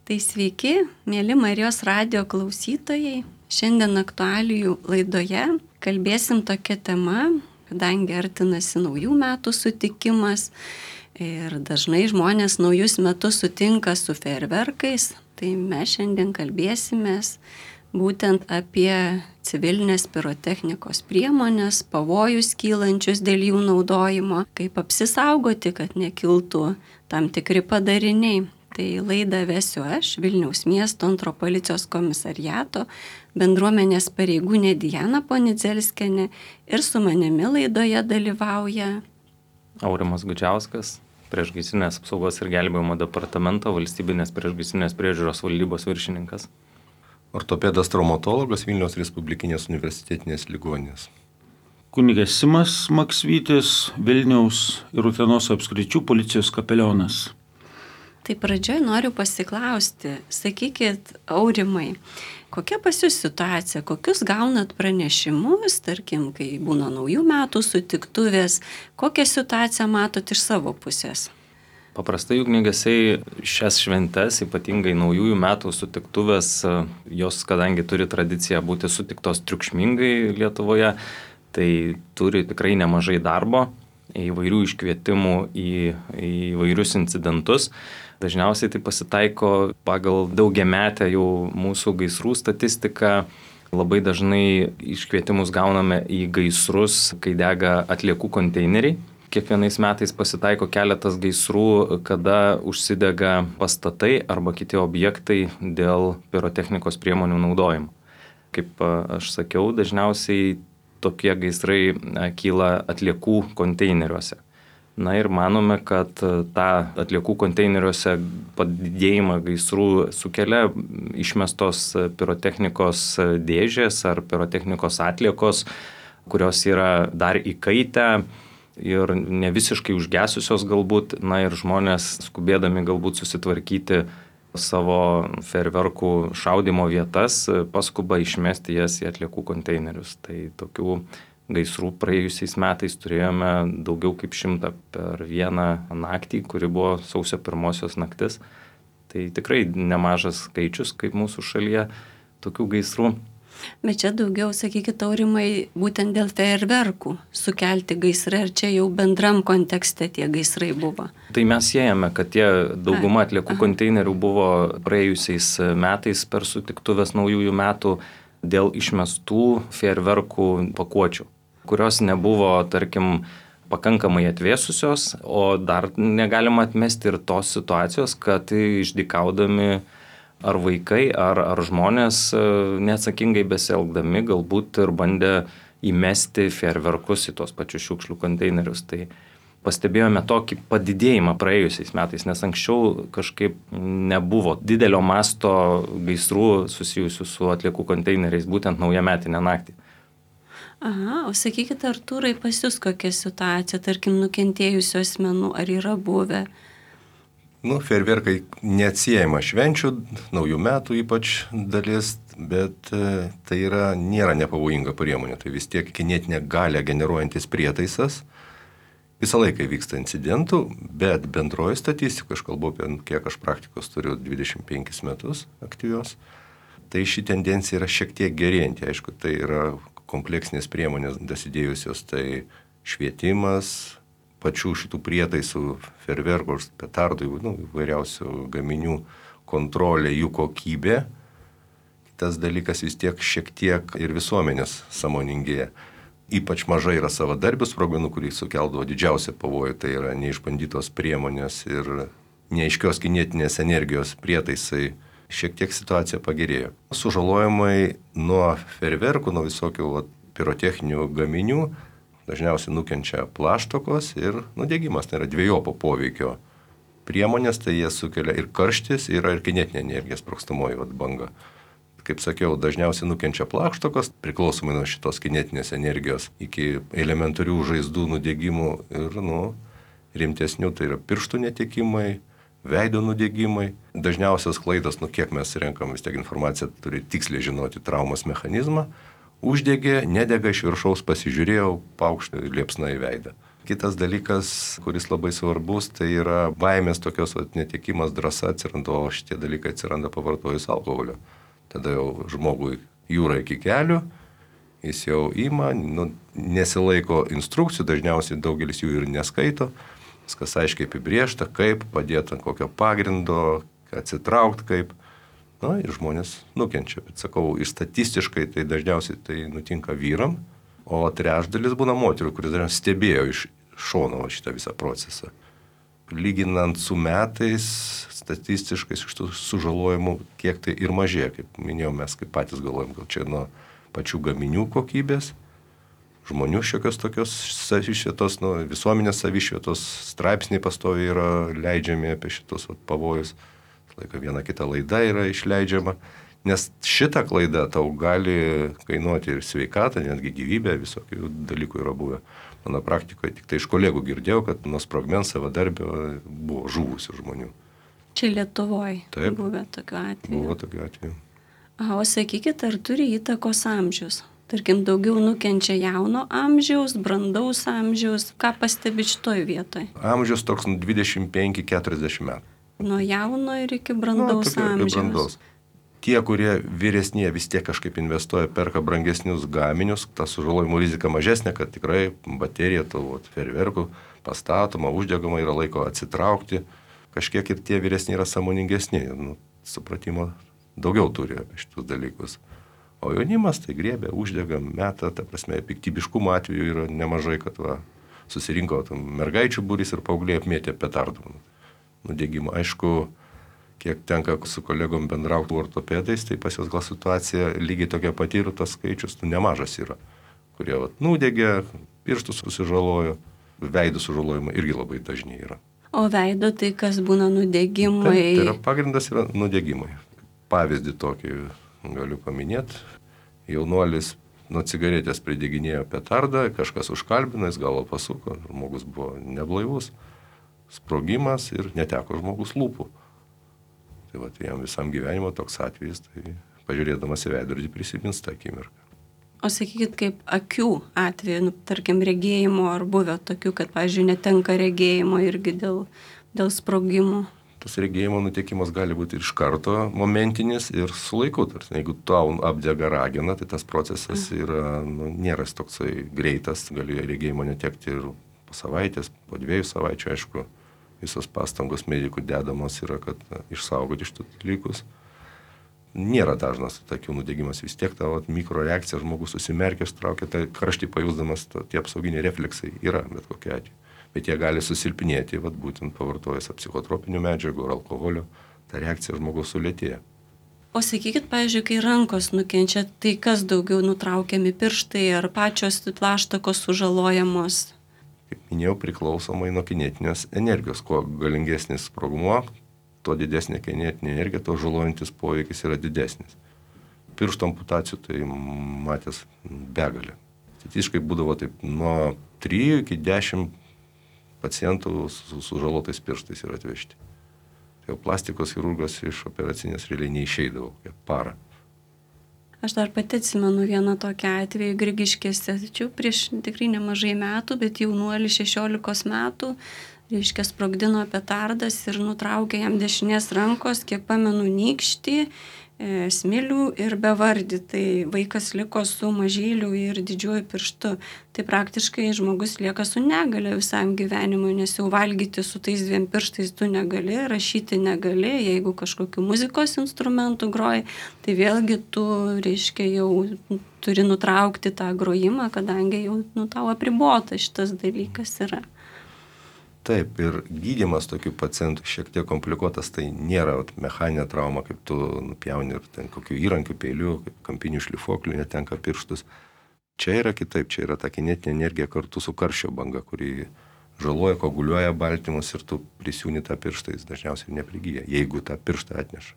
Tai sveiki, mėly Marijos radijo klausytojai. Šiandien aktualijų laidoje kalbėsim tokia tema, kadangi artinasi naujų metų sutikimas ir dažnai žmonės naujus metus sutinka su fejerverkais, tai mes šiandien kalbėsimės būtent apie civilinės pirotechnikos priemonės, pavojus kylančius dėl jų naudojimo, kaip apsisaugoti, kad nekiltų tam tikri padariniai. Tai laidą vesiu aš, Vilniaus miesto antro policijos komisariato bendruomenės pareigūnė Diana Ponidzelskienė ir su manimi laidoje dalyvauja Aurimas Gudžiauskas, priešgaisrinės apsaugos ir gelbėjimo departamento valstybinės priešgaisrinės priežiūros valdybos viršininkas. Ortopedas traumatologas Vilniaus Respublikinės universitetinės ligoninės. Kunigas Simas Maksvytis, Vilniaus ir Utenos apskričių policijos kapelionas. Tai pradžioj noriu pasiklausti, sakykit, Aurimai, kokia pas jūs situacija, kokius gaunat pranešimus, tarkim, kai būna naujų metų sutiktuvės, kokią situaciją matot iš savo pusės? Paprastai ugniagesiai šias šventes, ypatingai naujųjų metų sutiktuvės, jos kadangi turi tradiciją būti sutiktos triukšmingai Lietuvoje, tai turi tikrai nemažai darbo, įvairių iškvietimų į įvairius incidentus. Dažniausiai tai pasitaiko pagal daugiametę jau mūsų gaisrų statistiką. Labai dažnai iškvietimus gauname į gaisrus, kai dega atliekų konteineriai. Kiekvienais metais pasitaiko keletas gaisrų, kada užsidega pastatai arba kiti objektai dėl pirotechnikos priemonių naudojimo. Kaip aš sakiau, dažniausiai tokie gaisrai kyla atliekų konteineriuose. Na ir manome, kad tą atliekų konteineriuose padidėjimą gaisrų sukelia išmestos pirotechnikos dėžės ar pirotechnikos atliekos, kurios yra dar įkaitę ir ne visiškai užgesusios galbūt, na ir žmonės skubėdami galbūt susitvarkyti savo fejerverkų šaudymo vietas, paskuba išmesti jas į atliekų konteinerius. Tai tokių gaisrų praėjusiais metais turėjome daugiau kaip 100 per vieną naktį, kuri buvo sausio 1 naktis. Tai tikrai nemažas skaičius, kaip mūsų šalyje, tokių gaisrų. Bet čia daugiau, sakykit, Aurimai, būtent dėl fejerverkų sukelti gaisrai, ar čia jau bendram kontekste tie gaisrai buvo? Tai mes siejame, kad tie dauguma atliekų konteinerių buvo praėjusiais metais per sutiktuvės naujųjų metų dėl išmestų fejerverkų pakuočių, kurios nebuvo, tarkim, pakankamai atvėsusios, o dar negalima atmesti ir tos situacijos, kad išdykaudami ar vaikai, ar žmonės neatsakingai besielgdami galbūt ir bandė įmesti fejerverkus į tos pačius šiukšlių konteinerius. Tai pastebėjome tokį padidėjimą praėjusiais metais, nes anksčiau kažkaip nebuvo didelio masto gaisrų susijusių su atliekų konteineriais būtent naujametinę naktį. Aha, o sakykit, Artūrai, pas jūs kokia situacija, tarkim, nukentėjusių asmenų, ar yra buvę? Fejerverkai neatsiejama švenčių, naujų metų ypač dalis, bet tai nėra nepavojinga priemonė. Tai vis tiek kinetinę galią generuojantis prietaisas. Visą laiką vyksta incidentų, bet bendroji statistika, aš kalbu apie kiek aš praktikos turiu 25 metus aktyvios, tai ši tendencija yra šiek tiek gerėjanti. Aišku, tai yra kompleksinės priemonės dasidėjusios, tai švietimas, pačių šitų prietaisų, fejerverkų, petardų, įvairiausių gaminių kontrolė, jų kokybė. Kitas dalykas vis tiek šiek tiek ir visuomenės sąmoningėja. Ypač mažai yra savadarbių sprogmenų, kurį sukeldavo didžiausią pavojų, tai yra neišbandytos priemonės ir neaiškios kinetinės energijos prietaisai. Šiek tiek situacija pagerėjo. Sužalojimai nuo fejerverkų, nuo visokių pirotechninių gaminių dažniausiai nukenčia plaštokos ir nudegimas, tai yra dviejopo poveikio priemonės, tai jie sukelia ir karštis, ir kinetinė energija, sprogstamoji banga. Kaip sakiau, dažniausiai nukenčia plaštokos, priklausomai nuo šitos kinetinės energijos, iki elementarių žaizdų nudegimų ir rimtesnių, tai yra pirštų netekimai, veido nudegimai. Dažniausias klaidas, kiek mes renkam, vis tiek informaciją turi tiksliai žinoti traumos mechanizmą. Uždegė, nedega iš viršaus, pasižiūrėjau, paukštė liepsna į veidą. Kitas dalykas, kuris labai svarbus, tai yra baimės tokios netekimas, drąsa atsiranda, o šitie dalykai atsiranda pavartojus alkoholio. Tada jau žmogui jūra iki kelių, jis jau ima, nesilaiko instrukcijų, dažniausiai daugelis jų ir neskaito, viskas aiškiai apibriešta, kaip padėti, ant kokio pagrindo, atsitraukti kaip. Ir žmonės nukenčia. Bet sakau, ir statistiškai tai dažniausiai tai nutinka vyram, o trečdalis būna moterų, kuris dažniausiai stebėjo iš šono šitą visą procesą. Lyginant su metais, statistiškai iš tų sužalojimų, kiek tai ir mažėja, kaip minėjau, mes kaip patys galvojam, gal čia nuo pačių gaminių kokybės, žmonių šiokios tokios savišvietos, visuomenės savišvietos straipsniai pastoviai yra leidžiami apie šitos pavojus. Laika viena kita laida yra išleidžiama, nes šita klaida tau gali kainuoti ir sveikatą, netgi gyvybę, visokių dalykų yra buvę. Mano praktikoje tik tai iš kolegų girdėjau, kad nuo sprogmens savadarbio buvo žuvusių žmonių. Čia Lietuvoje buvo tokiu atveju. Buvo tokiu atveju. O sakykit, ar turi įtakos amžius? Tarkim, daugiau nukenčia jauno amžiaus, brandaus amžiaus. Ką pastebit šitoj vietoj? Amžius toks 25-40 metų. Nuo jauno ir iki brandaus amžiaus. Brandaus. Tie, kurie vyresnie vis tiek kažkaip investuoja, perka brangesnius gaminius, ta sužalojimų rizika mažesnė, kad tikrai baterija fejerverkų pastatoma, uždegama, yra laiko atsitraukti. Kažkiek ir tie vyresni yra sąmoningesni, supratimo daugiau turi apie šitus dalykus. O jaunimas tai griebia, uždega, meta, ta prasme, piktybiškumo atveju yra nemažai, kad susirinko mergaičių būrys ir paaugliai apmėtė petardų. Nudegimo. Aišku, kiek tenka su kolegom bendrauti ortopedais, tai pas juos gal situacija lygiai tokia pati ir tas skaičius nemažas yra, kurie nudegė, pirštus susižalojo, veidų sužalojimai irgi labai dažni yra. O veido tai kas būna nudegimai? Tai yra pagrindas yra nudegimai. Pavyzdį tokį galiu paminėti. Jaunuolis nuo cigaretės prideginėjo petardą, kažkas užkalbino, jis galvą pasuko, žmogus buvo neblaivus. Sprogimas ir neteko žmogus lūpų. Tai jam visam gyvenimo toks atvejis, tai pažiūrėdamas į veidrodį prisimins tą akimirką. O sakykit, kaip akių atveju, tarkim, regėjimo ar buvę tokių, kad, pavyzdžiui, netenka regėjimo irgi dėl sprogimų? Tas regėjimo nutekimas gali būti iš karto momentinis ir su laiku. Jeigu tau apdega ragena, tai tas procesas yra, nėra toksai greitas, gali regėjimo netekti ir po savaitės, po 2 savaičių, aišku, visos pastangos medikų dedamos yra, kad išsaugoti šitų dalykus. Nėra dažnas akių nudegimas, vis tiek ta mikroreakcija, žmogus susimerkia, traukia, tai karštį pajusdamas, tie apsauginiai refleksai yra bet kokia atveju. Bet jie gali susilpnėti, būtent pavartojęs psichotropinių medžiagų ar alkoholio, ta reakcija žmogaus sulėtėja. O sakykit, pavyzdžiui, kai rankos nukenčia, tai kas daugiau nutraukiami pirštai ar pačios plaštakos sužalojamos? Kaip minėjau, priklausomai nuo kinetinės energijos. Kuo galingesnis sprogmuo, tuo didesnė kinetinė energija, tuo žalojantis poveikis yra didesnis. Piršto amputacijų tai matęs begalė. Statistiškai būdavo taip nuo 3 iki 10 pacientų su sužalotais pirštais yra atvežti. Tai jau plastikos chirurgas iš operacinės realiai neišeidavo, kaip parą. Aš dar pati atsimenu vieną tokią atvejį Grigiškėse, tačiau prieš tikrai nemažai metų, bet jaunuolį 16 metų, reiškia, sprogdino petardas ir nutraukė jam dešinės rankos, kiek pamenu, nykštį, smilių ir bevardį. Tai vaikas liko su mažyliu ir didžiuoju pirštu. Tai praktiškai žmogus lieka su negalia visam gyvenimui, nes jau valgyti su tais 2 pirštais tu negali, rašyti negali, jeigu kažkokiu muzikos instrumentu groji, tai vėlgi tu, reiškia, jau turi nutraukti tą grojimą, kadangi jau tau apribota šitas dalykas yra. Taip, ir gydymas tokių pacientų šiek tiek komplikuotas, tai nėra mechaninė trauma, kaip tu nupjauni ir ten kokių įrankių, peilių, kaip kampinių šlifuoklių netenka pirštus. Čia yra kitaip, čia yra ta kinetinė energija kartu su karščio banga, kuri žaloja, koaguliuoja baltymus ir tu prisiūni tą pirštą, jis dažniausiai neprigyja, jeigu tą pirštą atneša.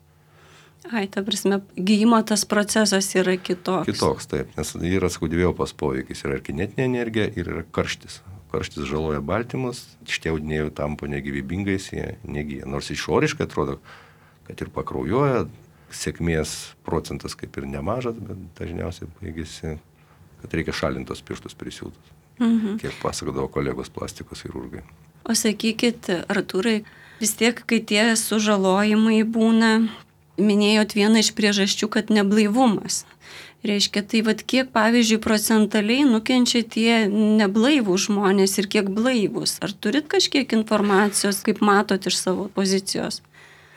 Ai, ta prasme, gyjimo tas procesas yra kitoks. Kitoks, taip, nes yra dviejopas poveikis, yra ir kinetinė energija ir yra karštis. Karštis žaloja baltymus, šitie audiniai tampa negyvybingais, jie negyja. Nors išoriškai atrodo, kad ir pakraujuoja, sėkmės procentas kaip ir nemažas, bet dažniausiai baigėsi, kad reikia šalintos pirštus prisiūtus. kiek pasakodavo kolegos plastikos chirurgai. O sakykit, Artūrai, vis tiek, kai tie sužalojimai būna, minėjot vieną iš priežasčių, kad neblaivumas. Reiškia, tai kiek, pavyzdžiui, procentaliai nukenčia tie neblaivūs žmonės ir kiek blaivūs? Ar turit kažkiek informacijos, kaip matot iš savo pozicijos?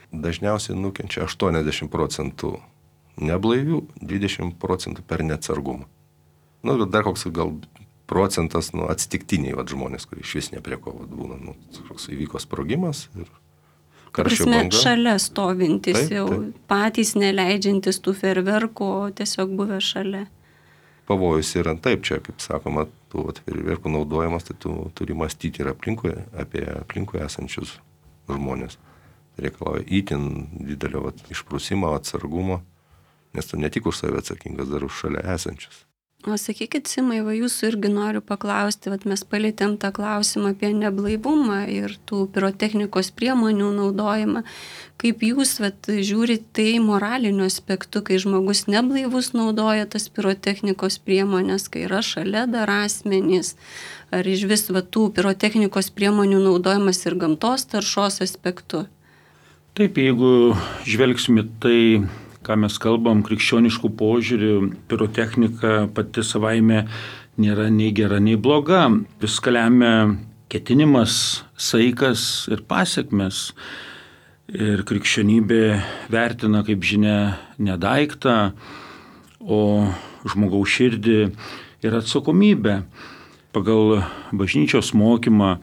Dažniausiai nukenčia 80% neblaivių, 20% per neatsargumą. Dar koks gal procentas atsitiktiniai žmonės, kurie iš vis ne prie ko būna. Koks įvyko sprogimas ir karščio banga. Šalia stovintis jau, patys neleidžiantis tų fejerverkų, tiesiog buvę šalia. Pavojus yra taip, čia, kaip sakoma, tų fejerverkų naudojimas, tai tu turi mąstyti ir apie aplinkoje esančius žmonės. Tai reikalauja itin didelio išprusimo, atsargumo, nes tu ne tik už save atsakingas, dar už šalia esančius. O sakykit, Simai, jūsų irgi noriu paklausti, mes palėtėm tą klausimą apie neblaivumą ir tų pirotechnikos priemonių naudojimą. Kaip jūs žiūrit tai moraliniu aspektu, kai žmogus neblaivus naudoja tas pirotechnikos priemonės, kai yra šalia dar asmenys, ar iš vis tų pirotechnikos priemonių naudojimas ir gamtos taršos aspektu? Taip, jeigu žvelgsime tai, ką mes kalbam, krikščioniškų požiūrių, pirotechnika pati savaime nėra nei gera, nei bloga. Viską lemia ketinimas, saikas ir pasiekmes. Ir krikščionybė vertina, kaip žinia, ne daiktą, o žmogaus širdį ir atsakomybę. Pagal bažnyčios mokymą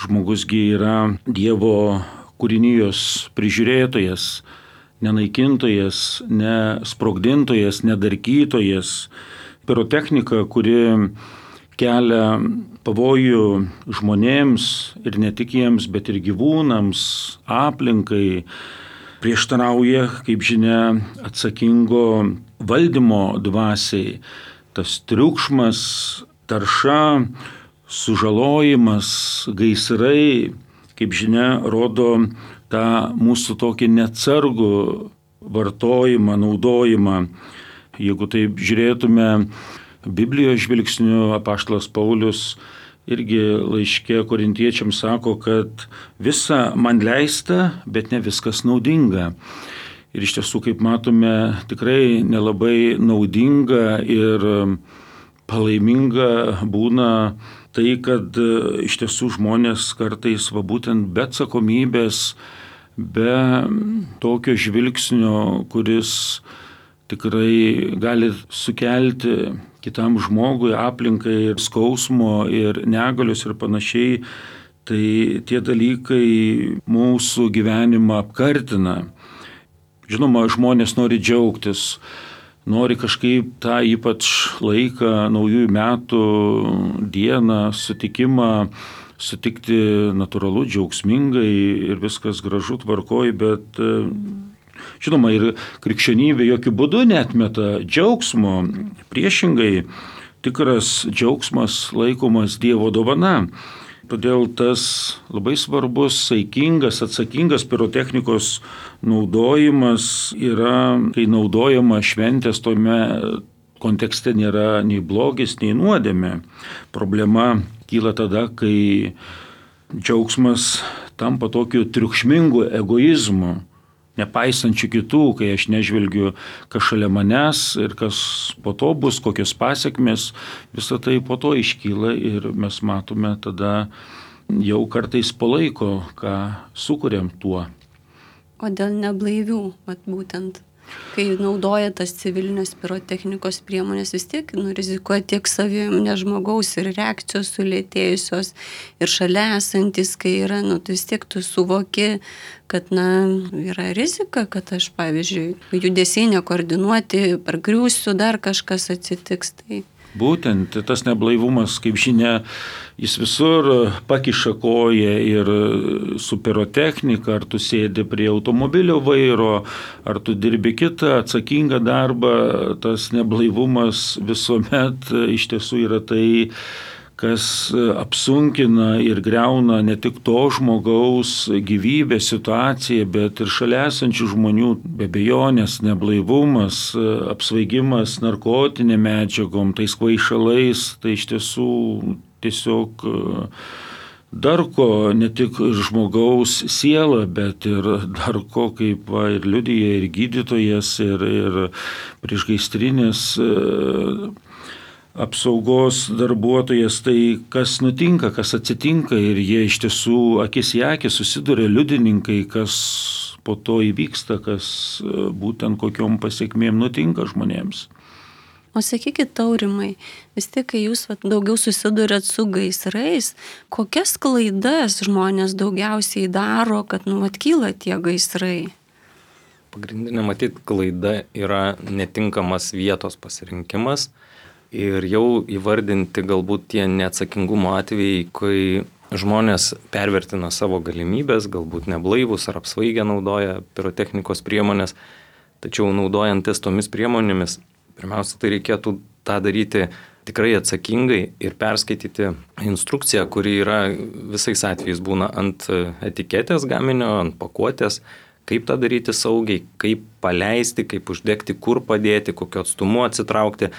žmogusgi yra Dievo kūrinijos prižiūrėtojas, nenaikintojas, nesprogdintojas, nedarkytojas. Pirotechnika, kuri kelia pavojų žmonėms ir ne tik jiems, bet ir gyvūnams, aplinkai, prieštarauja, kaip žinia, atsakingo valdymo dvasiai. Tas triukšmas, tarša, sužalojimas, gaisrai, kaip žinia, rodo tą mūsų tokį neatsargų vartojimą, naudojimą. Jeigu taip žiūrėtume Biblijos žvilgsniu, apaštalas Paulius irgi laiške korintiečiams sako, kad visa man leista, bet ne viskas naudinga. Ir iš tiesų, kaip matome, tikrai nelabai naudinga ir palaiminga būna tai, kad iš tiesų žmonės kartais būtent be atsakomybės, be tokio žvilgsnio, kuris tikrai gali sukelti kitam žmogui, aplinkai ir skausmo ir negalios ir panašiai, tai tie dalykai mūsų gyvenimą apkartina. Žinoma, žmonės nori džiaugtis, nori kažkaip tą ypač laiką, naujųjų metų dieną, sutikimą, sutikti natūralu, džiaugsmingai ir viskas gražu, tvarkoj, bet žinoma, ir krikščionybė jokių būdų neatmeta džiaugsmo. Priešingai, tikras džiaugsmas laikomas Dievo dovana. Todėl tas labai svarbus, saikingas, atsakingas pirotechnikos naudojimas yra, kai naudojama šventės, tome kontekste nėra nei blogis, nei nuodėmė. Problema kyla tada, kai džiaugsmas tampa tokiu triukšmingu egoizmu, nepaisančių kitų, kai aš nežvelgiu, kas šalia manęs ir kas po to bus, kokios pasiekmes, visą tai po to iškyla ir mes matome tada jau kartais po laiko, ką sukuriam tuo. O dėl neblaivių, būtent, kai naudoja tas civilinės pirotechnikos priemonės, vis tiek rizikuoja tiek savim, ne žmogaus ir reakcijos sulėtėjusios ir šalia esantis, kai yra, tai vis tiek tu suvoki, kad yra rizika, kad aš, pavyzdžiui, judesiai nekoordinuoti, pargriūsiu, dar kažkas atsitiks. Tai būtent tas neblaivumas, kaip žinia, jis visur pakiša koją ir su pirotechnika, ar tu sėdi prie automobilio vairo, ar tu dirbi kitą atsakingą darbą, tas neblaivumas visuomet iš tiesų yra tai, kas apsunkina ir greuna ne tik to žmogaus gyvybę, situaciją, bet ir šalia esančių žmonių. Be abejonės, neblaivumas, apsvaigimas narkotinėm medžiagom, tais kvaišalais, tai iš tiesų tiesiog darko ne tik žmogaus sielą, bet ir darko, kaip ir liudija ir gydytojas, ir priešgaisrinės apsaugos darbuotojas. Tai kas nutinka, kas atsitinka, ir jie iš tiesų akis į akį susiduria liudininkai, kas po to įvyksta, kas būtent kokiom pasiekmėm nutinka žmonėms. O sakykit, Aurimai, vis tiek, kai jūs daugiau susidurėt su gaisrais, kokias klaidas žmonės daugiausiai daro, kad kyla tie gaisrai? Pagrindinė, matyt, klaida yra netinkamas vietos pasirinkimas ir jau įvardinti galbūt tie neatsakingumo atvejai, kai žmonės pervertina savo galimybės, galbūt neblaivus ar apsvaigę naudoja pirotechnikos priemonės, tačiau naudojantis tomis priemonėmis, pirmiausia, tai reikėtų tą daryti tikrai atsakingai ir perskaityti instrukciją, kuri yra visais atvejais būna ant etiketės gaminio, ant pakuotės, kaip tą daryti saugiai, kaip paleisti, kaip uždegti, kur padėti, kokiu atstumu atsitraukti.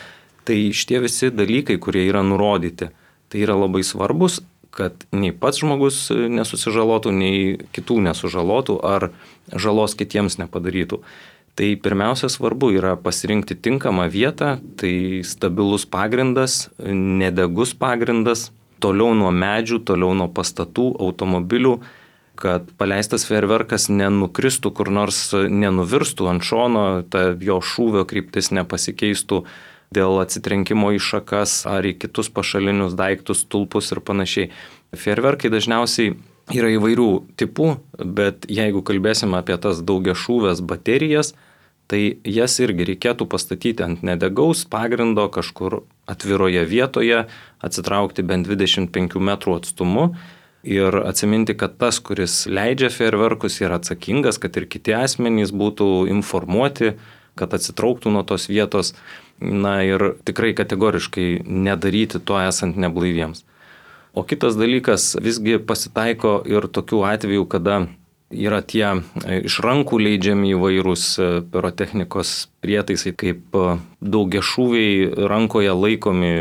Tai šitie visi dalykai, kurie yra nurodyti, tai yra labai svarbus, kad nei pats žmogus nesusižalotų, nei kitų nesužalotų ar žalos kitiems nepadarytų. Tai pirmiausia svarbu yra pasirinkti tinkamą vietą, tai stabilus pagrindas, nedegus pagrindas, toliau nuo medžių, toliau nuo pastatų, automobilių, kad paleistas fejerverkas nenukristų kur nors, nenuvirstų ant šono, ta jo šūvio kryptis nepasikeistų dėl atsitrenkimo į šakas ar į kitus pašalinius daiktus, stulpus ir panašiai. Fejerverkai dažniausiai yra įvairių tipų, bet jeigu kalbėsime apie tas daugiašūvės baterijas, tai jas irgi reikėtų pastatyti ant nedegaus pagrindo kažkur atviroje vietoje, atsitraukti bent 25 metrų atstumu ir atsiminti, kad tas, kuris leidžia fejerverkus, yra atsakingas, kad ir kiti asmenys būtų informuoti, kad atsitrauktų nuo tos vietos, ir tikrai kategoriškai nedaryti to esant neblaiviems. O kitas dalykas, visgi pasitaiko ir tokių atvejų, kada yra tie iš rankų leidžiami įvairūs pirotechnikos prietaisai, kaip daugiašūviai rankoje laikomi,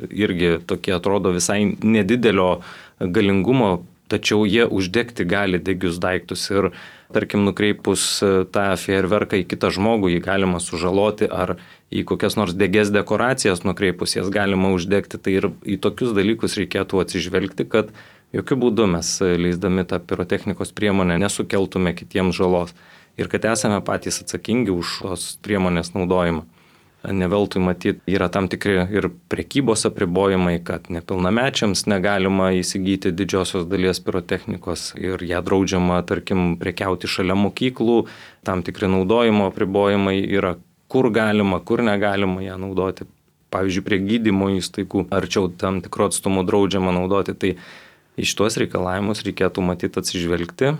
irgi tokie atrodo visai nedidelio galingumo, tačiau jie uždegti gali degius daiktus ir, tarkim, nukreipus tą fejerverką į kitą žmogų, jį galima sužaloti, ar į kokias nors degias dekoracijas nukreipus jas galima uždegti. Tai ir į tokius dalykus reikėtų atsižvelgti, kad jokių būdų mes leisdami tą pirotechnikos priemonę nesukeltume kitiems žalos ir kad esame patys atsakingi už tos priemonės naudojimą. Neveltui matyti, yra tam tikri ir prekybos apribojimai, kad nepilnamečiams negalima įsigyti didžiosios dalies pirotechnikos ir ją draudžiama, tarkim, prekiauti šalia mokyklų, tam tikri naudojimo apribojimai yra, kur galima, kur negalima ją naudoti. Pavyzdžiui, prie gydymo įstaigų arčiau tam tikro atstumo draudžiama naudoti, tai iš tuos reikalavimus reikėtų matyti atsižvelgti,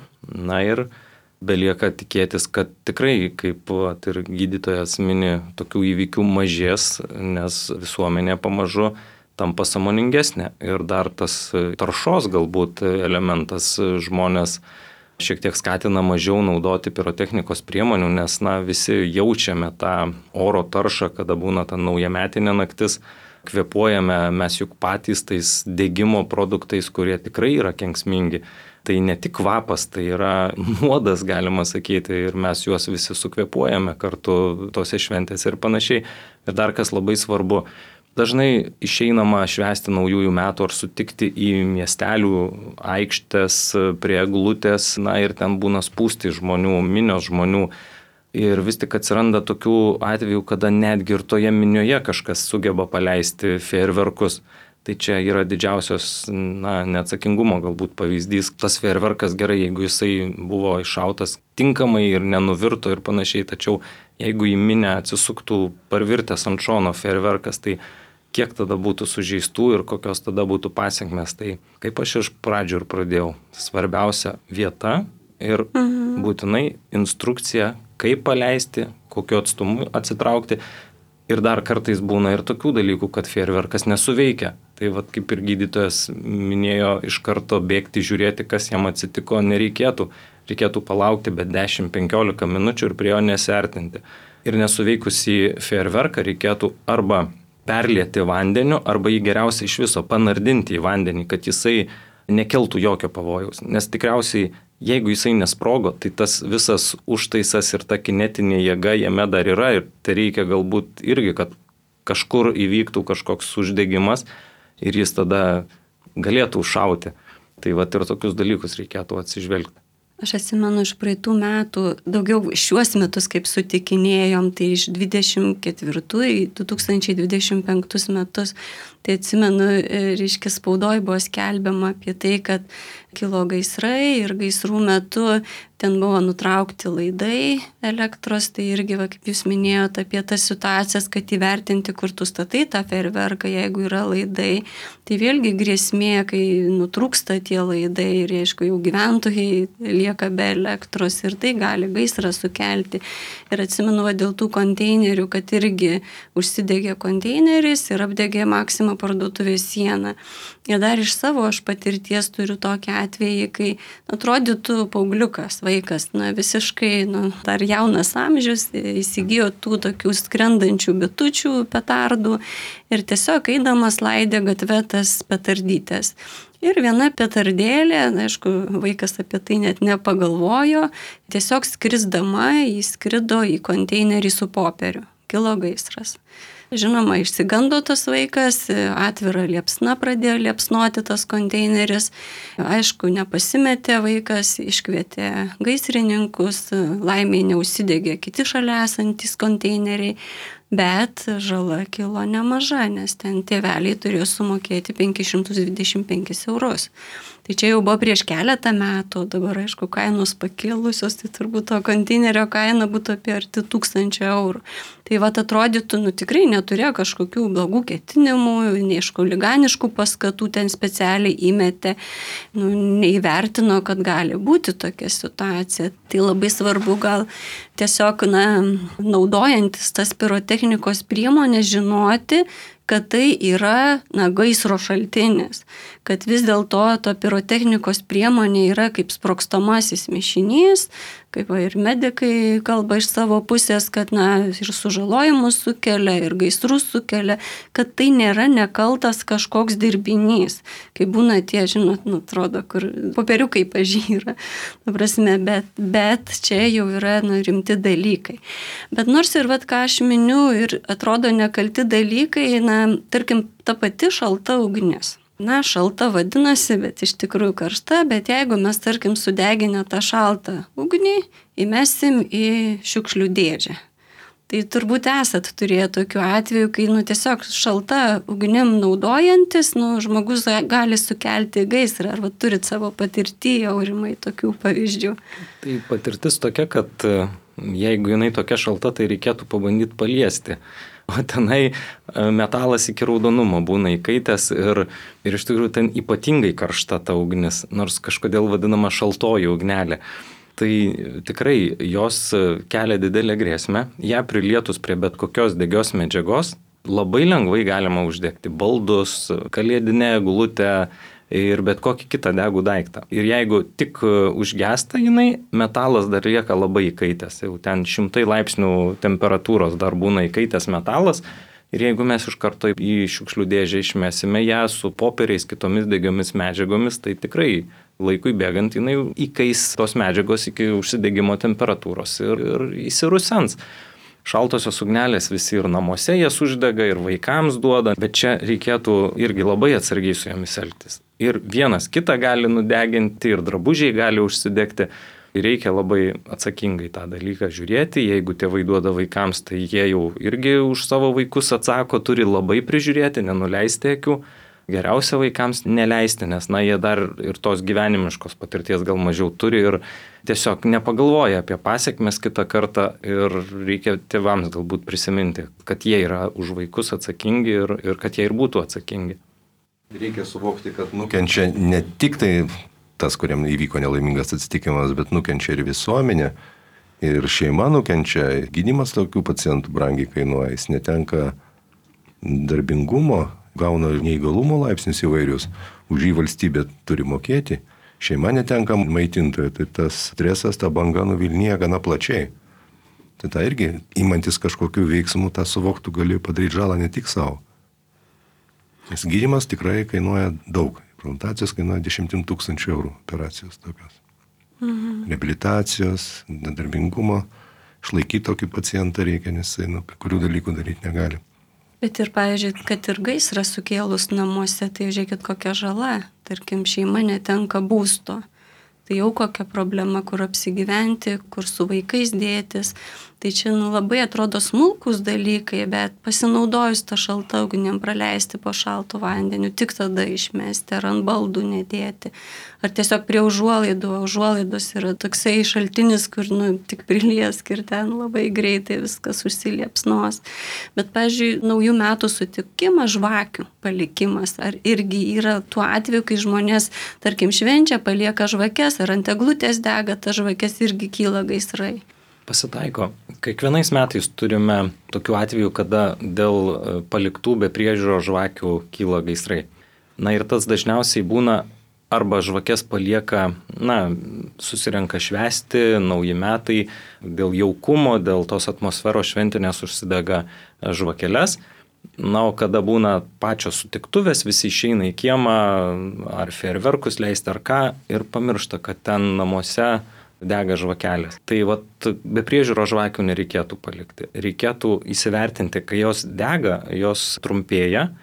ir belieka tikėtis, kad tikrai, kaip ir gydytojas mini, tokių įvykių mažės, nes visuomenė pamažu tampa sąmoningesnė ir dar tas taršos galbūt elementas žmonės šiek tiek skatina mažiau naudoti pirotechnikos priemonių, nes visi jaučiame tą oro taršą, kada būna ta naujametinė naktis, kvėpuojame mes juk patys tais degimo produktais, kurie tikrai yra kenksmingi. Tai ne tik kvapas, tai yra nuodas, galima sakyti, ir mes juos visi sukvėpuojame kartu tose šventėse ir panašiai. Ir dar kas labai svarbu, dažnai išeinama švęsti naujųjų metų ar sutikti į miestelių aikštės prie eglutės, ir ten būna spūsti žmonių, minios žmonių. Ir vis tik atsiranda tokių atvejų, kada netgi ir toje minioje kažkas sugeba paleisti fejerverkus. Tai čia yra didžiausios neatsakingumo galbūt pavyzdys. Tas fejerverkas gerai, jeigu jisai buvo iššautas tinkamai ir nenuvirto ir panašiai, tačiau jeigu į minę atsisuktų parvirtęs ant šono fejerverkas, tai kiek tada būtų sužeistų ir kokios tada būtų pasiekmės. Tai kaip aš iš pradžių ir pradėjau, svarbiausia vieta ir būtinai instrukcija, kaip paleisti, kokiu atstumu atsitraukti. Ir dar kartais būna ir tokių dalykų, kad fejerverkas nesuveikia. Tai kaip ir gydytojas minėjo, iš karto bėgti, žiūrėti, kas jam atsitiko, nereikėtų. Reikėtų palaukti bet 10-15 minučių ir prie jo nesiartinti. Ir nesuveikusį fejerverką reikėtų arba perlieti vandeniu arba jį geriausia iš viso panardinti į vandenį, kad jisai nekeltų jokio pavojaus. Nes tikriausiai, jeigu jisai nesprogo, tai tas visas užtaisas ir ta kinetinė jėga jame dar yra ir tai reikia galbūt irgi, kad kažkur įvyktų kažkoks uždegimas ir jis tada galėtų užšauti. Tai vat ir tokius dalykus reikėtų atsižvelgti. Aš atsimenu iš praeitų metų, daugiau šiuos metus kaip sutikinėjom, tai iš 24 į 2025 metus, tai atsimenu, reiškia spaudoj buvo skelbiama apie tai, kad kilo gaisrai ir gaisrų metu ten buvo nutraukti laidai elektros, tai irgi, kaip jūs minėjote, apie tas situacijas, kad įvertinti, kur tu statai tą fejerverką, jeigu yra laidai, tai vėlgi grėsmė, kai nutrūksta tie laidai ir, aišku, jau gyventojai lieka be elektros ir tai gali gaisrą sukelti. Ir atsimenu, dėl tų konteinerių, kad irgi užsidegė konteineris ir apdegė Maxima parduotuvės sieną. Ir dar iš savo aš patirties turiu tokį atvejį, kai atrodytų paaugliukas, vaikas, visiškai dar jaunas amžius, įsigijo tų tokių skrendančių bitučių petardų ir tiesiog eidamas laidė gatvę tas petardytės. Ir viena petardėlė, aišku, vaikas apie tai net nepagalvojo, tiesiog skrisdama įskrido į konteinerį su popieriu. Kilo gaisras. Žinoma, išsigando tas vaikas, atvira liepsna pradėjo liepsnoti tas konteineris. Aišku, nepasimetė vaikas, iškvietė gaisrininkus, laimiai neužsidegė kiti šalia esantys konteineriai, bet žala kilo nemaža, nes ten tėveliai turėjo sumokėti 525 eurus. Tai čia jau buvo prieš keletą metų, dabar aišku kainos pakilusios, tai turbūt to konteinerio kaina būtų apie arti 1000 eurų. Tai atrodytų, tikrai neturėjo kažkokių blogų ketinimų, neišku liganiškų paskatų ten specialiai įmetė, neįvertino, kad gali būti tokia situacija. Tai labai svarbu gal tiesiog, naudojantis tas pirotechnikos priemonės žinoti, kad tai yra gaisro šaltinis, kad vis dėlto to pirotechnikos priemonė yra kaip sprogstamasis mišinys, kaip ir medikai kalba iš savo pusės, kad ir sužalojimus sukelia, ir gaisrus sukelia, kad tai nėra nekaltas kažkoks dirbinys. Kai būna tie, atrodo, kur popieriukai pažyra, bet čia jau yra rimti dalykai. Bet nors ir ką aš miniu ir atrodo nekalti dalykai, tarkim, ta pati šalta ugnis. Šalta vadinasi, bet iš tikrųjų karšta, bet jeigu mes, tarkim, sudeginę tą šaltą ugnį, įmesim į šiukšlių dėžę. Tai turbūt esat turėję tokių atvejų, kai tiesiog šalta ugnim naudojantis, žmogus gali sukelti gaisrą. Ar turit savo patirtį, Aurimai, tokių pavyzdžių? Tai patirtis tokia, kad jeigu jinai tokia šalta, tai reikėtų pabandyti paliesti. O tenai metalas iki raudonumo būna įkaitęs ir iš tikrųjų ten ypatingai karšta ta ugnis, nors kažkodėl vadinama šaltoji ugnelė. Tai tikrai jos kelia didelę grėsmę, ją prilietus prie bet kokios degios medžiagos labai lengvai galima uždegti baldus, kalėdinę eglutę ir bet kokį kitą degų daiktą. Ir jeigu tik užgesta jinai, metalas dar lieka labai įkaitęs. Jau ten 100 laipsnių temperatūros dar būna įkaitęs metalas. Ir jeigu mes iš karto į šiukšlių dėžę išmesime ją su popieriais, kitomis degiomis medžiagomis, tai tikrai laikui bėgant jinai įkais tos medžiagos iki užsidegimo temperatūros ir įsirusens. Šaltosios ugnelės visi ir namuose jas uždega, ir vaikams duoda, bet čia reikėtų irgi labai atsargiai su jomis elgtis. Ir vienas kitą gali nudeginti, ir drabužiai gali užsidegti. Reikia labai atsakingai tą dalyką žiūrėti. Jeigu tėvai duoda vaikams, tai jie jau irgi už savo vaikus atsako, turi labai prižiūrėti, nenuleisti akių. Geriausia vaikams neleisti, nes jie dar ir tos gyvenimiškos patirties gal mažiau turi ir tiesiog nepagalvoja apie pasiekmes kitą kartą ir reikia tėvams galbūt prisiminti, kad jie yra už vaikus atsakingi ir kad jie ir būtų atsakingi. Reikia suvokti, kad nukenčia ne tik tai tas, kuriam įvyko nelaimingas atsitikimas, bet nukenčia ir visuomenė, ir šeima nukenčia, gydymas tokių pacientų brangiai kainuoja, jis netenka darbingumo, gauna neįgalumo laipsnius įvairius, už jį valstybė turi mokėti, šeima netenka maitintojo, tai tas stresas, ta banga nuvilnija gana plačiai. Tai irgi, imantis kažkokių veiksmų, tą suvoktų gali padaryti žalą ne tik savo, Nes gydymas tikrai kainuoja daug. Implantacijos kainuoja 10 000 eurų operacijos tokios. Reabilitacijos, nedarbingumo, išlaikyti tokį pacientą reikia, nes jis kai kurių dalykų daryti negali. Bet ir, pavyzdžiui, kad ir gaisrą sukėlus namuose, tai žiūrėkit kokia žala. Tarkim, šeima netenka būsto. Tai jau kokia problema, kur apsigyventi, kur su vaikais dėtis. Tai čia labai atrodo smulkus dalykai, bet pasinaudojus tą šaltą ugnim praleisti po šaltų vandeniu, tik tada išmesti ar ant baldų nedėti. Ar tiesiog prie užuolaidų. Užuolaidos yra toksai šaltinis, kur tik priliesk ir ten labai greitai viskas užsiliepsnos. Bet, pavyzdžiui, naujų metų sutikimas, žvakių palikimas, ar irgi yra tuo atveju, kai žmonės, tarkim, švenčia, palieka žvakes, ar ant eglutės dega, ta žvakės irgi kyla gaisrai. Pasitaiko. Kiekvienais metais turime tokių atvejų, kada dėl paliktų be priežiūros žvakių kyla gaisrai. Na ir tas dažniausiai būna arba žvakės palieka, susirenka švęsti, nauji metai, dėl jaukumo, dėl tos atmosferos šventinės užsidega žvakeles. Na, o kada būna pačios sutiktuvės, visi išeina į kiemą, ar fejerverkus leisti ar ką, ir pamiršta, kad ten namuose dega žvakelės. Tai be priežiūros žvakių nereikėtų palikti. Reikėtų įsivertinti, kai jos dega, jos trumpėja.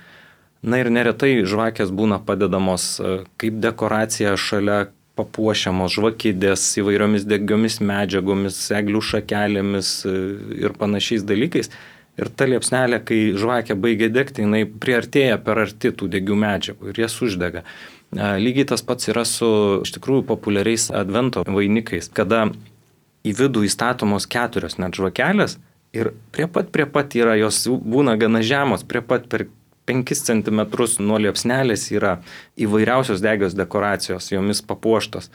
Na ir neretai žvakės būna padedamos kaip dekoracija šalia, papuošiamos žvakidės įvairiomis degiomis medžiagomis, eglių šakelėmis ir panašiais dalykais. Ir ta liepsnelė, kai žvakė baigia degti, jinai priartėja per arti tų degių medžiagų ir jas uždega. Lygiai tas pats yra su iš tikrųjų populiariais advento vainikais, kada į vidų įstatomos 4 net žvakelės ir prie pat yra, jos būna gana žemos, prie pat per 5 cm nuo liepsnelės yra įvairiausios degios dekoracijos, jomis papuoštos.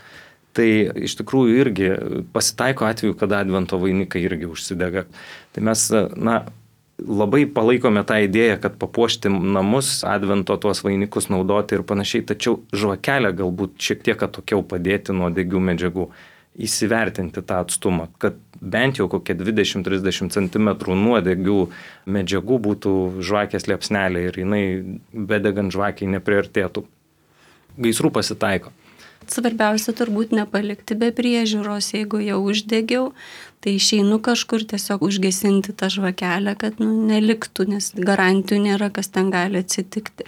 Tai iš tikrųjų irgi pasitaiko atveju, kada advento vainikai irgi užsidega. Tai mes, labai palaikome tą idėją, kad papuošti namus, advento tuos vainikus naudoti ir panašiai, tačiau žvakelę galbūt šiek tiek atokiau padėti nuo degių medžiagų, įsivertinti tą atstumą, kad bent jau kokie 20-30 cm nuo degių medžiagų būtų žvakės liepsnelė ir jinai bedegant žvakiai nepriartėtų. Gaisrų pasitaiko. Svarbiausia turbūt nepalikti be priežiūros, jeigu jau uždegiau, tai išeinu kažkur tiesiog užgesinti tą žvakelę, kad neliktų, nes garantijų nėra, kas ten gali atsitikti.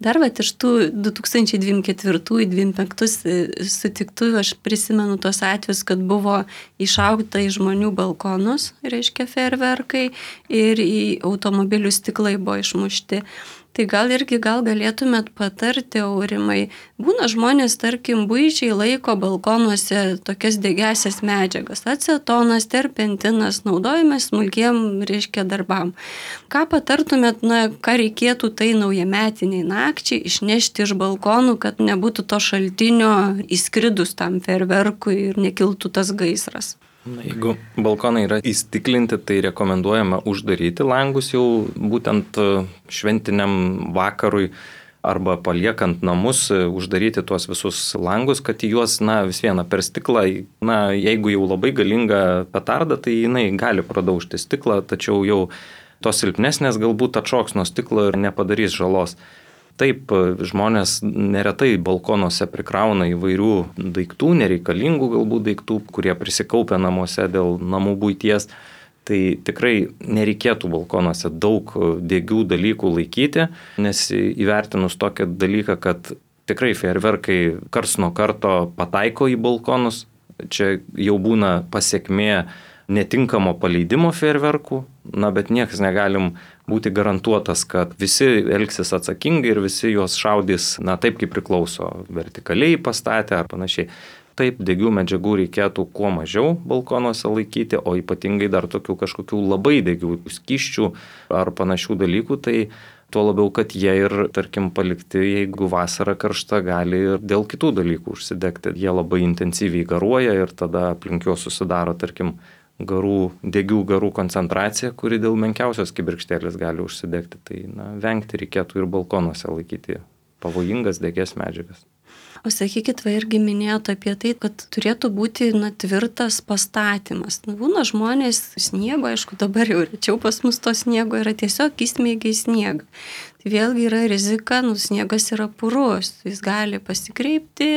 Dar iš tų 2024-2025 sutiktuvių aš prisimenu tos atvejus, kad buvo išaugta į žmonių balkonus, reiškia fejerverkai, ir į automobilių stiklai buvo išmušti. Tai gal galėtumėt patarti, Aurimai, būna žmonės, tarkim, buičiai laiko balkonuose tokias degiasias medžiagas, acetonas, terpentinas, naudojame smulkiem, darbam. Ką patartumėt, ką reikėtų tai naujametiniai nakčiai išnešti iš balkonų, kad nebūtų to šaltinio įskridus tam fejerverkui ir nekiltų tas gaisras? Jeigu balkonai yra įstiklinti, tai rekomenduojama uždaryti langus jau būtent šventiniam vakarui arba paliekant namus, uždaryti tuos visus langus, kad į juos, vis viena per stiklą, jeigu jau labai galinga petarda, tai jinai gali pradaužti stiklą, tačiau jau tos silpnesnės galbūt atšoks nuo stiklo ir nepadarys žalos. Taip, žmonės neretai balkonuose prikrauna įvairių daiktų, nereikalingų galbūt daiktų, kurie prisikaupia namuose dėl namų buities. Tai tikrai nereikėtų balkonuose daug degių dalykų laikyti, nes įvertinus tokį dalyką, kad tikrai fejerverkai karts nuo karto pataiko į balkonus, čia jau būna pasekmė netinkamo paleidimo fejerverkų, bet niekas negalim būti garantuotas, kad visi elgsis atsakingai ir visi juos šaudys, taip kaip priklauso, vertikaliai pastatę ar panašiai. Taip, degių medžiagų reikėtų kuo mažiau balkonuose laikyti, o ypatingai dar tokių kažkokių labai degių skysčių ar panašių dalykų, tai tuo labiau, kad jie ir, tarkim, palikti, jeigu vasara karšta, gali ir dėl kitų dalykų užsidegti. Jie labai intensyviai garuoja ir tada aplink juos susidaro, tarkim, degių garų koncentracija, kuri dėl menkiausios kibirkštėlės gali užsidegti. Tai vengti reikėtų ir balkonuose laikyti pavojingas degias medžiagas. O sakykit, irgi minėjote apie tai, kad turėtų būti tvirtas pastatymas. Būna žmonės sniego, aišku, dabar jau rečiau pas mus to sniego yra tiesiog įsmeigia į sniegą. Tai vėlgi yra rizika, sniegas yra purus, jis gali pasikreipti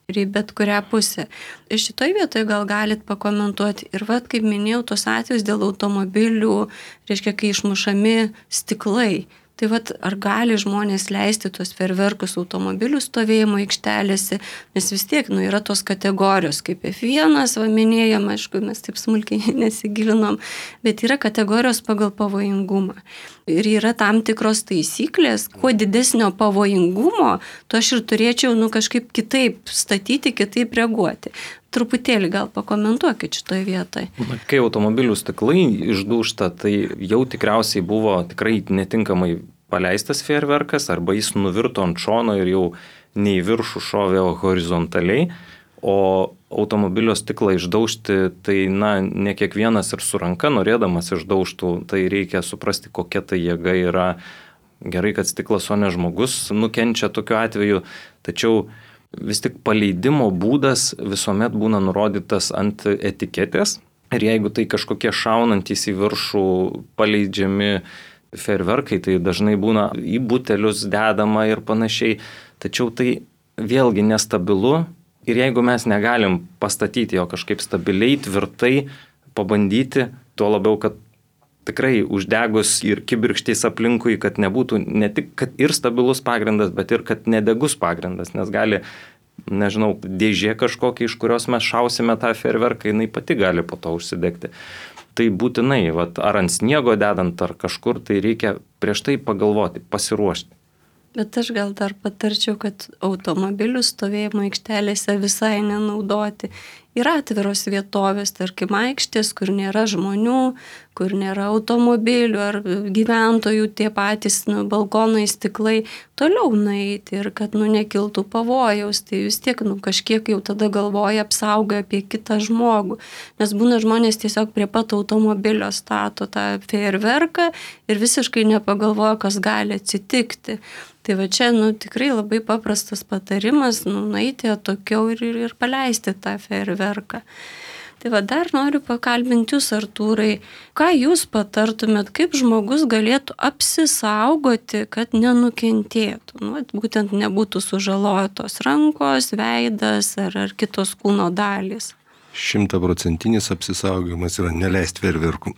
ir į bet kurią pusę. Ir šitoj vietoje gal galit pakomentuoti. Ir kaip minėjau, tos atvejus dėl automobilių, reiškia, kai išmušami stiklai. Tai ar gali žmonės leisti tuos fejerverkus automobilių stovėjimo aikštelėse, nes vis tiek yra tos kategorijos, kaip F1, minėjom, aišku, mes taip smulkiai nesigilinom, bet yra kategorijos pagal pavojingumą. Ir yra tam tikros taisyklės, kuo didesnio pavojingumo, to aš ir turėčiau kažkaip kitaip statyti, kitaip reaguoti. Truputėlį gal pakomentuokit šitoje vietoje. Kai automobilių stiklai išdūžta, tai jau tikriausiai buvo tikrai netinkamai paleistas fejerverkas, arba jis nuvirto ant šono ir jau ne į viršų šovė horizontaliai, o automobilio stiklą išdaužti, tai ne kiekvienas ir su ranka norėdamas išdaužtų, tai reikia suprasti, kokia tai jėga yra. Gerai, kad stiklas, o ne žmogus nukenčia tokiu atveju, tačiau vis tik paleidimo būdas visuomet būna nurodytas ant etiketės ir jeigu tai kažkokie šaunantys į viršų paleidžiami fejerverkai, tai dažnai būna į butelius dedama ir panašiai, tačiau tai vėlgi nestabilu ir jeigu mes negalim pastatyti jo kažkaip stabiliai, tvirtai, pabandyti, tuo labiau, kad tikrai uždegus ir kibirkštys aplinkui, kad nebūtų ne tik kad ir stabilus pagrindas, bet ir kad nedegus pagrindas, nes gali, nežinau, dėžė kažkokia, iš kurios mes šausime tą fejerverką, jinai pati gali po to užsidegti. Tai būtinai, ar ant sniego dedant, ar kažkur, tai reikia prieš tai pagalvoti, pasiruošti. Bet aš gal dar patarčiau, kad automobilių stovėjimo aikštelėse visai nenaudoti. Yra atviros vietovės, tarkim, aikštės, kur nėra žmonių, kur nėra automobilių ar gyventojų, tie patys balkonai, stiklai, toliau nueiti ir kad nekiltų pavojaus, tai vis tiek kažkiek jau tada galvoja apsauga apie kitą žmogų. Nes būna žmonės tiesiog prie pat automobilio stato tą fejerverką ir visiškai nepagalvoja, kas gali atsitikti. Tai čia tikrai labai paprastas patarimas, nueiti atokiau ir paleisti tą fejerverką. Tai dar noriu pakalbinti jūs, Artūrai, ką jūs patartumėt, kaip žmogus galėtų apsisaugoti, kad nenukentėtų, būtent nebūtų sužalotos rankos, veidas ar kitos kūno dalys. 100% apsisaugojimas yra neleisti fejerverkų.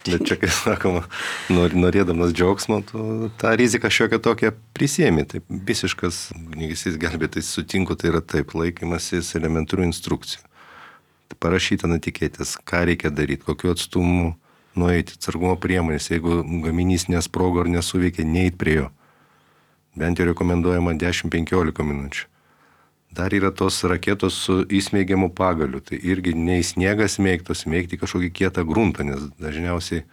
Bet čia, kaip sakoma, norėdamas džiaugsmo, tą riziką šiokią tokią prisiemi. Taip, visiškas ugniagesys gelbėtojas sutinku, tai yra taip, laikymasis elementarių instrukcijų. Parašyta ant etiketės, ką reikia daryti, kokiu atstumu nueiti, atsargumo priemonės, jeigu gaminys nesprogo ar nesuveikia, neiti prie jo. Bent jau rekomenduojama 10-15 minučių. Dar yra tos raketos su įsmeigiamu pagaliu, tai irgi ne į sniegą smėgti kažkokį kietą gruntą, nes dažniausiai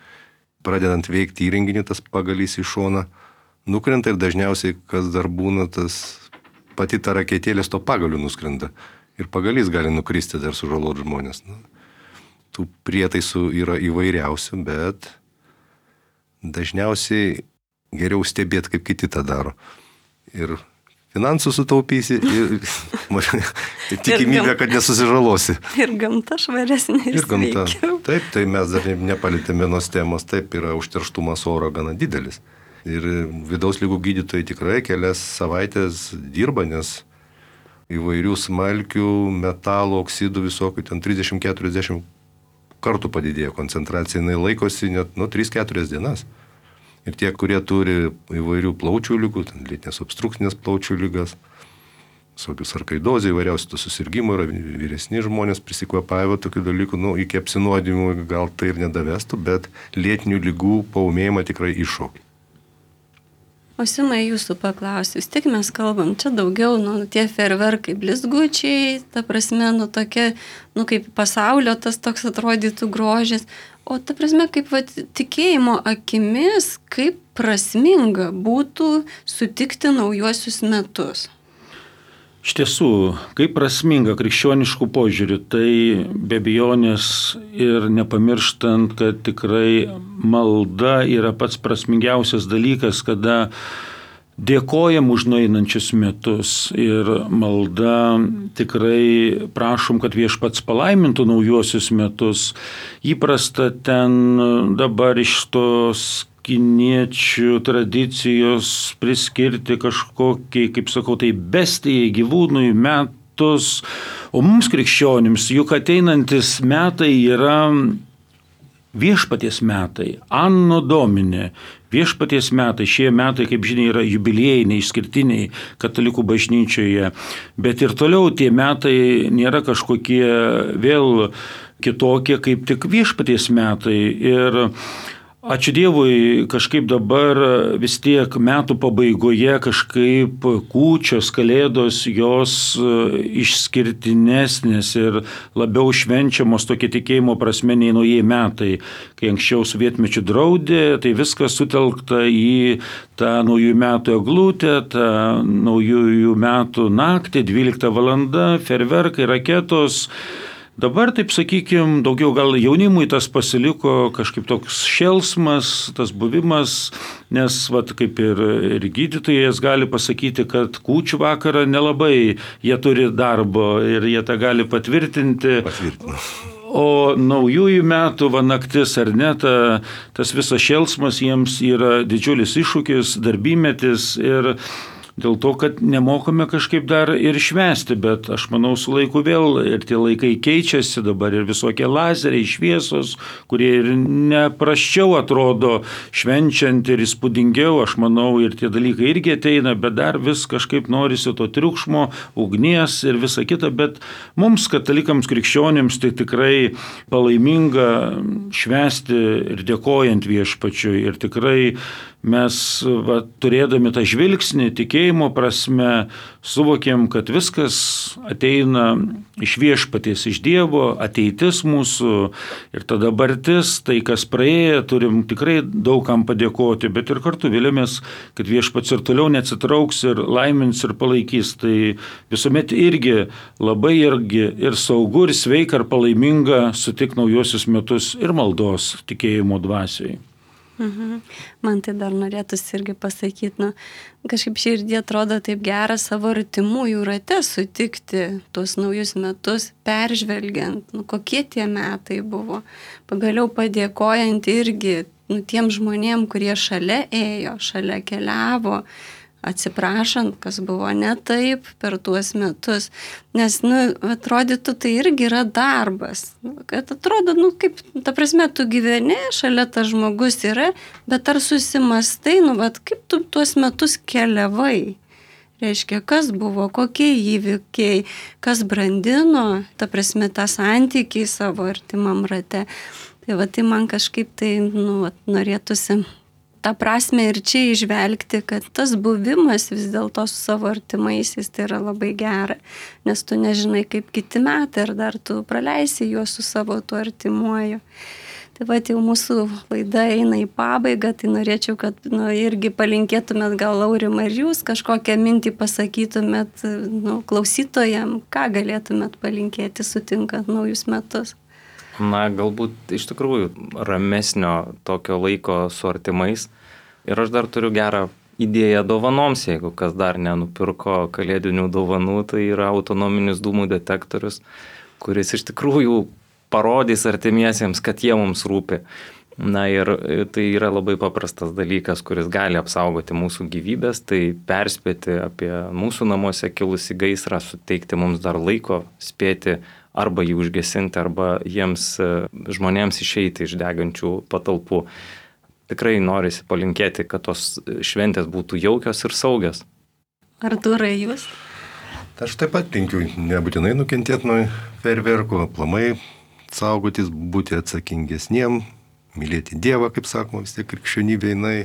pradedant veikti įrenginį, tas pagalys į šoną nukrenta ir dažniausiai, kas dar būna, pati ta raketėlės to pagaliu nuskrenda ir pagalys gali nukristi dar sužaloti žmonės. Tų prietaisų yra įvairiausių, bet dažniausiai geriau stebėti, kaip kiti tą daro. Ir finansų sutaupysi ir tikimybė, kad nesusižalosi. Ir gamta švaresnė ir gamta. Taip, tai mes dar nepalėtėme vienos temos, taip yra užterštumas oro gana didelis. Ir vidaus ligų gydytojai tikrai kelias savaitės dirba, nes įvairių smalkių, metalo, oksidų visokių, ten 30-40 kartų padidėjo koncentracija, jinai laikosi net 3-4 dienas. Ir tie, kurie turi įvairių plaučių ligų, lėtinės obstrukcinės plaučių ligas, visokius sarkaidozė, įvairiausių susirgymų, yra vyresni žmonės prisikvapavę tokių dalykų, iki apsinuodimų gal tai ir nedavestų, bet lėtinių ligų paūmėjimą tikrai iššaukia. O Simai, jūsų paklausiu, vis tik mes kalbam, čia daugiau, tie fejerverkai blizgučiai, ta prasme, tokia, kaip pasaulio tas toks atrodytų grožis, o ta prasme, kaip tikėjimo akimis, kaip prasminga būtų sutikti naujuosius metus. Iš tiesų, kaip prasminga krikščioniškų požiūrių, tai be abejonės ir nepamirštant, kad tikrai malda yra pats prasmingiausias dalykas, kada dėkojam už nueinančius metus ir malda tikrai prašom, kad Viešpats palaimintų naujuosius metus. Įprasta ten dabar iš tos kiniečių tradicijos priskirti kažkokiai, kaip sakau, tai bestijai gyvūnui metus, o mums krikščionims juk ateinantis metai yra Viešpaties metai, Anno Domine, Viešpaties metai. Šie metai, kaip žinia, yra jubiliejiniai, išskirtiniai katalikų bažnyčioje, bet ir toliau tie metai nėra kažkokie vėl kitokie, kaip tik Viešpaties metai. Ir ačiū Dievui, kažkaip dabar vis tiek metų pabaigoje kažkaip kūčios, kalėdos, jos išskirtinesnės ir labiau švenčiamos tokie tikėjimo prasme nei naujieji metai. Kai anksčiau sovietmečiu draudė, tai viskas sutelkta į tą naujųjų metų eglutę, tą naujųjų metų naktį, 12 valanda, fejerverkai, raketos. Dabar, taip sakykime, daugiau gal jaunimui tas pasiliko kažkaip toks šėlsmas, tas buvimas, nes kaip ir gydytojas gali pasakyti, kad kūčių vakarą nelabai jie turi darbo ir jie tą gali patvirtinti. O naujųjų metų naktis ar ne, tas visas šėlsmas jiems yra didžiulis iššūkis, darbymetis ir dėl to, kad nemokame kažkaip dar ir švęsti, bet aš manau su laiku vėl ir tie laikai keičiasi dabar ir visokie lazeriai, šviesos, kurie ir neprasčiau atrodo švenčiant ir įspūdingiau, aš manau ir tie dalykai irgi ateina, bet dar vis kažkaip norisi to triukšmo, ugnies ir visa kita, bet mums katalikams krikščionims tai tikrai palaiminga švęsti ir dėkojant Viešpačiui ir tikrai mes turėdami tą žvilgsnį, tikėjimo prasme, suvokėm, kad viskas ateina iš Viešpaties, iš Dievo, ateitis mūsų ir ta dabartis, tai kas praėjo, turim tikrai daugam padėkoti, bet ir kartu vėliamės, kad Viešpats ir toliau neatsitrauks ir laimins ir palaikys. Tai visuomet irgi labai ir saugu, ir sveika, ir palaiminga sutikti naujuosius metus ir maldos tikėjimo dvasiai. Man tai dar norėtųsi irgi pasakyti, kažkaip širdį atrodo taip gera savo artimųjų rate sutikti tuos naujus metus, peržvelgiant, kokie tie metai buvo. Pagaliau padėkojant irgi tiem žmonėm, kurie šalia ėjo, šalia keliavo, atsiprašant, kas buvo ne taip per tuos metus. Nes, atrodytų, tai irgi yra darbas. Kad atrodo, kaip, ta prasme, tu gyveni, šalia tas žmogus yra, bet ar susimastai, kaip tu tuos metus keliavai? Reiškia, kas buvo, kokie įvykiai, kas brandino, ta prasme, tą santykį savo artimam rate. Tai man kažkaip tai, norėtųsi tą prasme ir čia išvelgti, kad tas buvimas vis dėlto su savo artimaisiais tai yra labai gera, nes tu nežinai, kaip kiti metai ir dar tu praleisi juos su savo tuo artimuoju. Tai jau mūsų laida eina į pabaigą, tai norėčiau, kad irgi palinkėtumėt gal Aurimai ir jūs kažkokią mintį pasakytumėt klausytojam, ką galėtumėt palinkėti sutinkant naujus metus. Galbūt iš tikrųjų ramesnio tokio laiko su artimais. Ir aš dar turiu gerą idėją dovanoms, jeigu kas dar nenupirko kalėdinių dovanų, tai yra autonominis dūmų detektorius, kuris iš tikrųjų parodys artimiesiems, kad jie mums rūpi. Ir tai yra labai paprastas dalykas, kuris gali apsaugoti mūsų gyvybės, tai perspėti apie mūsų namuose kilusi gaisrą, suteikti mums dar laiko spėti arba jį užgesinti, arba jiems žmonėms išeiti iš degančių patalpų. Tikrai norisi palinkėti, kad tos šventės būtų jaukios ir saugios. Artūrai, jūs? Aš taip pat linkiu nebūtinai nukentėti nuo fejerverkų, aplamai saugotis, būti atsakingesniem, mylėti Dievą, kaip sakoma, vis tiek krikščionybė jinai.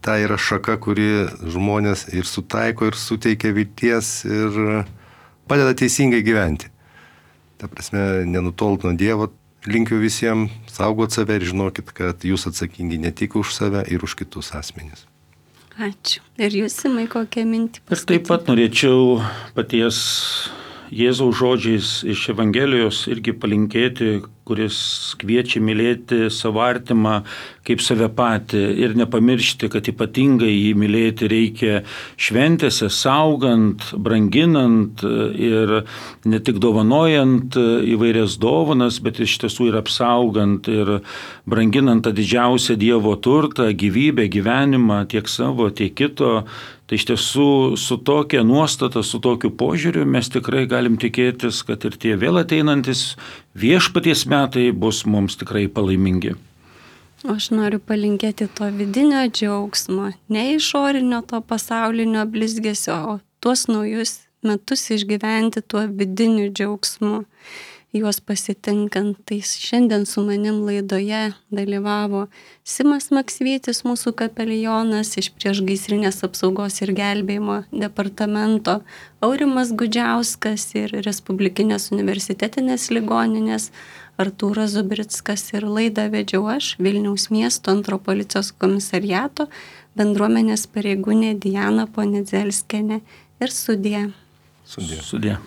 Tai yra šaka, kuri žmonės ir sutaiko, ir suteikia vilties, ir padeda teisingai gyventi. Ta prasme, nenutolt nuo Dievo, linkiu visiems saugot save ir žinokit, kad jūs atsakingi ne tik už save ir už kitus asmenis. Ačiū. Ir jūs, Simai, kokią mintį pasakyti? Ir taip pat norėčiau paties Jėzaus žodžiais iš Evangelijos irgi palinkėti, kuris kviečia mylėti savo artimą kaip save patį ir nepamiršti, kad ypatingai jį mylėti reikia šventėse, saugant, branginant ir ne tik dovanojant įvairias dovanas, bet iš tiesų ir apsaugant ir branginant tą didžiausią Dievo turtą, gyvybę, gyvenimą, tiek savo, tiek kito. Tai iš tiesų su tokia nuostata, su tokiu požiūriu mes tikrai galim tikėtis, kad ir tie vėl ateinantis viešpaties metai bus mums tikrai palaimingi. Aš noriu palinkėti to vidinio džiaugsmo, ne išorinio to pasaulinio blizgesio, o tuos naujus metus išgyventi tuo vidiniu džiaugsmu, juos pasitinkant. Tai šiandien su manim laidoje dalyvavo Simas Maksvytis, mūsų kapelionas iš Priešgaisrinės apsaugos ir gelbėjimo departamento, Aurimas Gudžiauskas ir Respublikinės universitetinės ligoninės Artūras Zubrickas, ir laidą vedžiau aš, Vilniaus miesto antro policijos komisariato bendruomenės pareigūnė Diana Ponedzelskienė, ir sudie. Sudie.